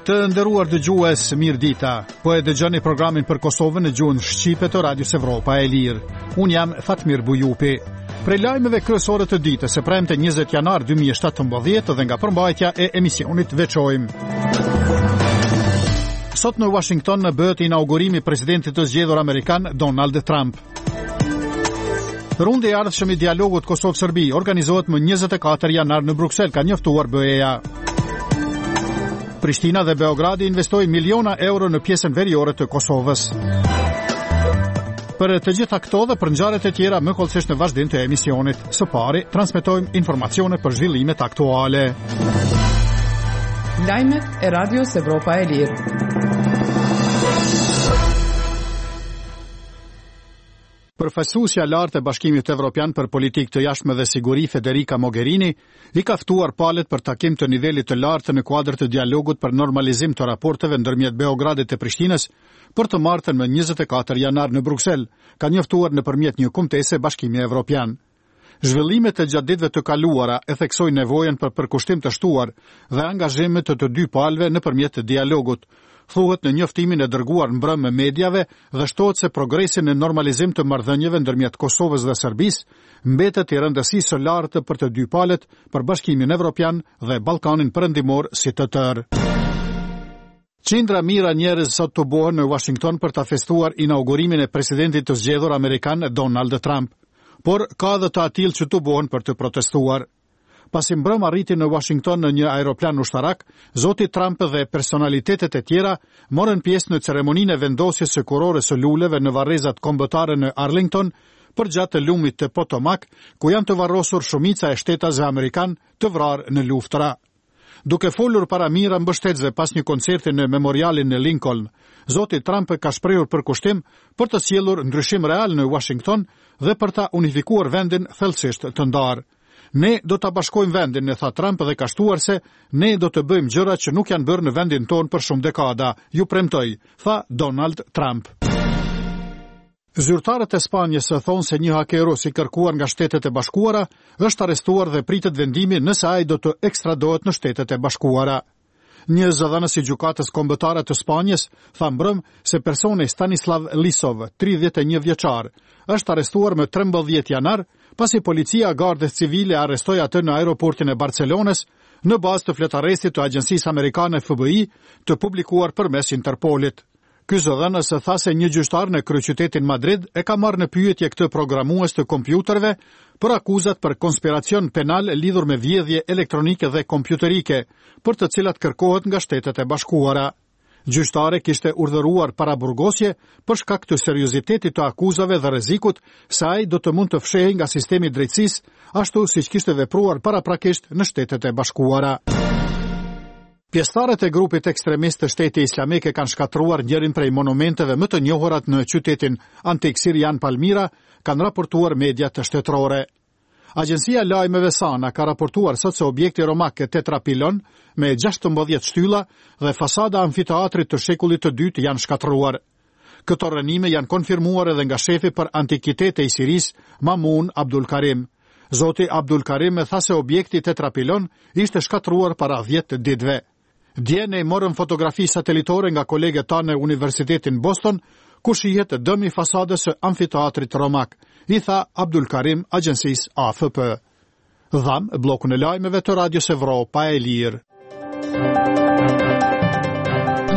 Të nderuar dëgjues, mirëdita. Po e dëgjoni programin për Kosovën në gjuhën shqipe të Radios Evropa e Lirë. Unë jam Fatmir Bujupi. Prej lajmeve kryesore të ditës së premte 20 janar 2017 dhe nga përmbajtja e emisionit veçojmë. Sot në Washington bëhet inaugurimi i presidentit të zgjedhur amerikan Donald Trump. Rundi i ardhshëm i dialogut Kosovë-Serbi organizohet më 24 janar në Bruksel, ka njoftuar BE-ja. Prishtina dhe Beogradi investojnë miliona euro në pjesën veriore të Kosovës. Për të gjitha këto dhe për ngjarjet e tjera më hollësisht në vazhdim të emisionit. Së pari, transmetojmë informacione për zhvillimet aktuale. Lajmet e Radios Evropa e Lirë. Përfaqësuesja e lartë e Bashkimit Evropian për Politikë të Jashtme dhe Siguri, Federica Mogherini, i ka ftuar palët për takim të nivelit të lartë në kuadër të dialogut për normalizim të raporteve ndërmjet Beogradit e Prishtinës për të martën më 24 janar në Bruksel, ka njoftuar nëpërmjet një kumtese Bashkimi Evropian. Zhvillimet e gjatë ditëve të kaluara e theksojnë nevojën për përkushtim të shtuar dhe angazhim të të dy palëve nëpërmjet dialogut, thuhet në njoftimin e dërguar mbrëmë mediave dhe shtohet se progresi në normalizim të marrëdhënieve ndërmjet Kosovës dhe Serbisë mbetet i rëndësisë së lartë për të dy palët, për Bashkimin Evropian dhe Ballkanin Perëndimor si të tërë. Qindra mijëra njerëz sot tubohen në Washington për ta festuar inaugurimin e presidentit të zgjedhur amerikan Donald Trump. Por ka edhe të atillë që tubohen për të protestuar. Pasi mbrëmë arriti në Washington në një aeroplan ushtarak, zoti Trump dhe personalitetet e tjera morën pjesë në ceremoninë e vendosjes së kurorës së luleve në varrezat kombëtare në Arlington, përgjatë lumit të Potomac, ku janë të varrosur shumica e shtetasve amerikanë të vrarë në luftëra. Duke folur para mijëra mbështetësve pas një koncerti në memorialin në Lincoln, zoti Trump ka shprehur përkushtim për të sjellur ndryshim real në Washington dhe për ta unifikuar vendin thellësisht të ndarë. Ne do ta bashkojmë vendin, tha Trump dhe ka shtuar se ne do të bëjmë gjëra që nuk janë bërë në vendin tonë për shumë dekada, ju premtoj, tha Donald Trump. Zyrtarët e Spanjës thonë se një haker rus i kërkuar nga Shtetet e Bashkuara është arrestuar dhe pritet vendimi nëse ai do të ekstradohet në Shtetet e Bashkuara. Një zëdhënës i Gjykatës Kombëtare të Spanjës tha mbrëmë se personi Stanislav Lisov, 31 vjeçar, është arrestuar më 13 janar pasi policia e Gardës Civile arrestoi atë në aeroportin e Barcelonës në bazë të fletarrestit të agjencisë amerikane FBI të publikuar përmes Interpolit. Ky zëdhënës tha se një gjyqtar në kryeqytetin Madrid e ka marrë në pyetje këtë programues të kompjuterëve për akuzat për konspiracion penal lidhur me vjedhje elektronike dhe kompjuterike, për të cilat kërkohet nga Shtetet e Bashkuara. Gjyqtari kishte urdhëruar paraburgosje për shkak të seriozitetit të akuzave dhe rrezikut se ai do të mund të fshehej nga sistemi i drejtësisë, ashtu siç kishte vepruar paraprakisht në Shtetet e Bashkuara. Pjesëtarët e grupit ekstremist të Shteti Islamik e kanë shkatërruar njërin prej monumenteve më të njohurat në qytetin antik sirian Palmira, kanë raportuar mediat shtetërore. Agjencia e lajmeve Sana ka raportuar sot se objekti romak Tetrapilon me 16 shtylla dhe fasada e amfiteatrit të shekullit të dytë janë shkatërruar. Këto rrënime janë konfirmuar edhe nga shefi për antikitete i Sirisë, Mamun Abdul Karim. Zoti Abdul Karim tha se objekti Tetrapilon ishte shkatërruar para 10 ditëve. Dje ne morëm fotografi satelitore nga kolegët tanë në Universitetin Boston, ku shihet dëmi i fasadës së amfiteatrit romak, i tha Abdul Karim agjencisë AFP. Dhamë bllokun e lajmeve të Radios Evropa e Lirë.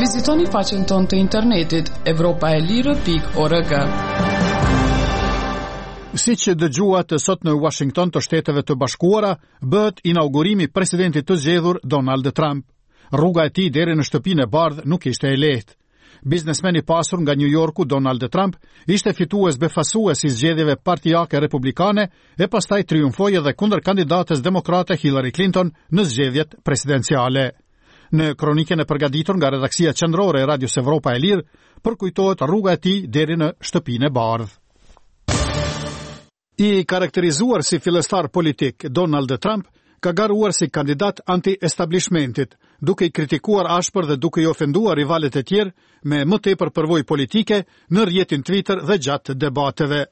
Vizitoni faqen tonë të internetit evropaelire.org. Siç dëgjuat sot në Washington të Shteteve të Bashkuara, bëhet inaugurimi i presidentit të zgjedhur Donald Trump. Rruga e tij deri në Shtëpinë e Bardhë nuk ishte e lehtë. Biznesmeni i pasur nga New Yorku, Donald Trump, ishte fitues befasues i zgjedhjeve partiake republikane e pastaj triumfoi edhe kundër kandidates demokrate Hillary Clinton në zgjedhjet presidenciale. Në kronikën e përgatitur nga redaksia qendrore e Radios Evropa e Lirë, përkujtohet rruga e tij deri në Shtëpinë e Bardhë. I karakterizuar si fillestar politik, Donald Trump ka garuar si kandidat anti-establishmentit, duke i kritikuar ashpër dhe duke i ofenduar rivalët e tjerë me më tepër përvojë politike në rrjetin Twitter dhe gjatë debateve.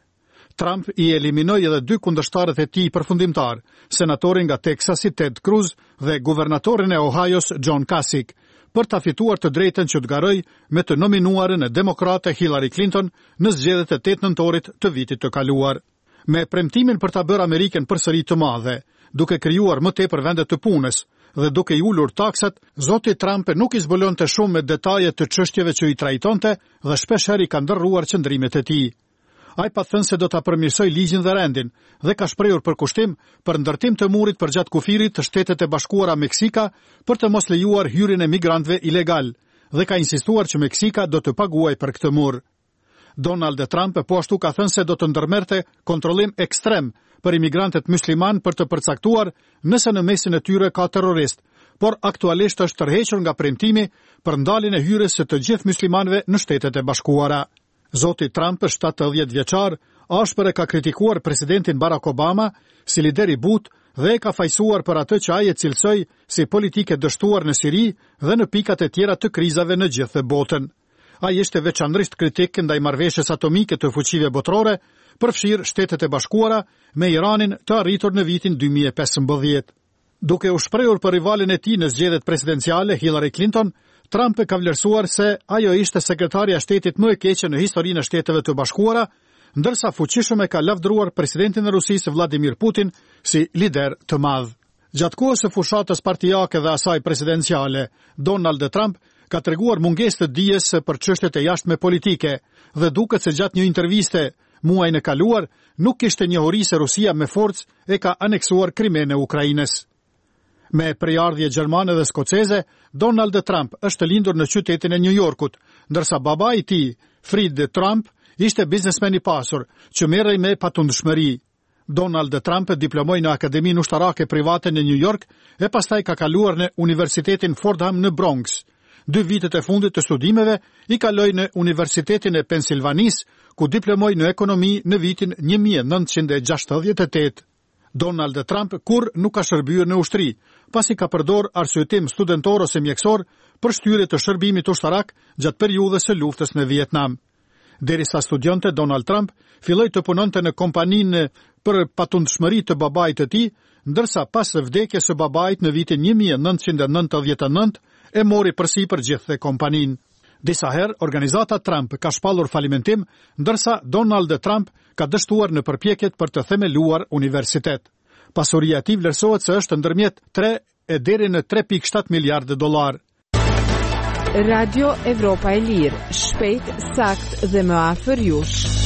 Trump i eliminoi edhe dy kundërshtarët e tij përfundimtarë, senatorin nga Teksasi Ted Cruz dhe guvernatorin e Ohios John Kasich, për ta fituar të drejtën që të garojë me të nominuarën demokrate Hillary Clinton në zgjedhjet e 8 nëntorit të vitit të kaluar. Me premtimin për ta bërë Amerikën përsëri të madhe, duke krijuar më tepër vende të punës dhe duke i ulur taksat, zoti Trump nuk i zbulonte shumë me detaje të çështjeve që i trajtonte dhe shpeshherë i ka ndërruar qëndrimet e tij. Ai pat thënë se do ta përmirësojë ligjin dhe rendin dhe ka shprehur përkushtim për ndërtim të murit përgjatë kufirit të Shtetet e Bashkuara Meksika për të mos lejuar hyrjen e migrantëve ilegalë dhe ka insistuar që Meksika do të paguajë për këtë mur. Donald Trump po ashtu ka thënë se do të ndërmerrte kontrollim ekstrem për imigrantët myslimanë për të përcaktuar nëse në mesin e tyre ka terroristë, por aktualisht është tërhequr nga premtimi për ndaljen e hyrjes së të gjithë myslimanëve në Shtetet e Bashkuara. Zoti Trump, 70 vjeçar, ashpër e ka kritikuar presidentin Barack Obama si lider i butë dhe e ka fajësuar për atë që ai e cilësoi si politikë e dështuar në Siri dhe në pikat e tjera të krizave në gjithë botën. Ai ishte veçanërisht kritik ndaj marrëveshjes atomike të fuqive botërore, përfshirë Shtetet e Bashkuara me Iranin të arritur në vitin 2015. Duke u shprehur për rivalin e tij në zgjedhjet presidenciale, Hillary Clinton, Trump ka vlerësuar se ajo ishte sekretarja e shtetit më e keqe në historinë e Shteteve të Bashkuara, ndërsa fuqishëm e ka lavdëruar presidentin e Rusisë Vladimir Putin si lider të madh. Gjatë kohës së fushatës partiake dhe asaj presidenciale, Donald Trump ka treguar mungesë të dijes për çështjet e jashtme politike dhe duket se gjatë një interviste muajin e kaluar nuk kishte njohuri se Rusia me forcë e ka aneksuar Krimenë e Ukrainës. Me prejardhje gjermane dhe skoceze, Donald Trump është lindur në qytetin e New Yorkut, ndërsa babai i tij, Fred Trump, ishte biznesmen i pasur që merrej me patundshmëri. Donald Trump diplomoi në Akademinë Ushtarake Private në New York e pastaj ka kaluar në Universitetin Fordham në Bronx. Dy vitet e fundit të studimeve i kaloi në Universitetin e Pensilvanisë, ku diplomoi në ekonomi në vitin 1968. Donald Trump kurrë nuk ka shërbyer në ushtri, pasi ka përdorë arsyetim studentor ose mjekësor për shtyrje të shërbimit ushtarak gjatë periudhës së luftës në Vietnam. Derisa studionte Donald Trump filloi të punonte në kompaninë për patundshmëri të babait të tij, ndërsa pas vdekjes së babait në vitin 1999 e mori përsipër gjithë kompaninë. Disa herë organizata Trump ka shpallur falimentim, ndërsa Donald Trump ka dështuar në përpjekjet për të themeluar universitet. Pasuria e tij vlerësohet se është ndërmjet 3 e deri në 3.7 miliardë dollarë. Radio Evropa e Lirë, shpejt, saktë dhe më afër jush.